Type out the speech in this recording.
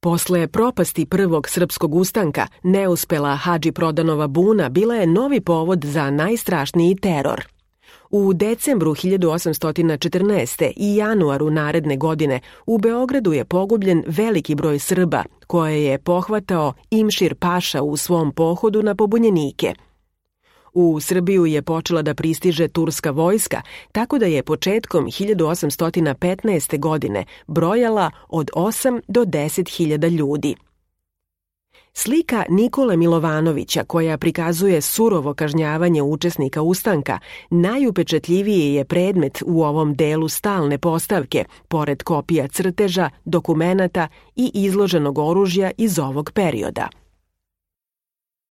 Posle propasti prvog srpskog ustanka, neuspela Hadži Prodanova buna bila je novi povod za najstrašniji teror. U decembru 1814. i januaru naredne godine u Beogradu je pogubljen veliki broj Srba, koje je pohvatao Imšir Paša u svom pohodu na pobunjenike. U Srbiju je počela da pristiže turska vojska, tako da je početkom 1815. godine brojala od 8 do 10.000 ljudi. Slika Nikole Milovanovića, koja prikazuje surovo kažnjavanje učesnika ustanka, najupečatljiviji je predmet u ovom delu stalne postavke, pored kopija crteža, dokumenata i izloženog oružja iz ovog perioda.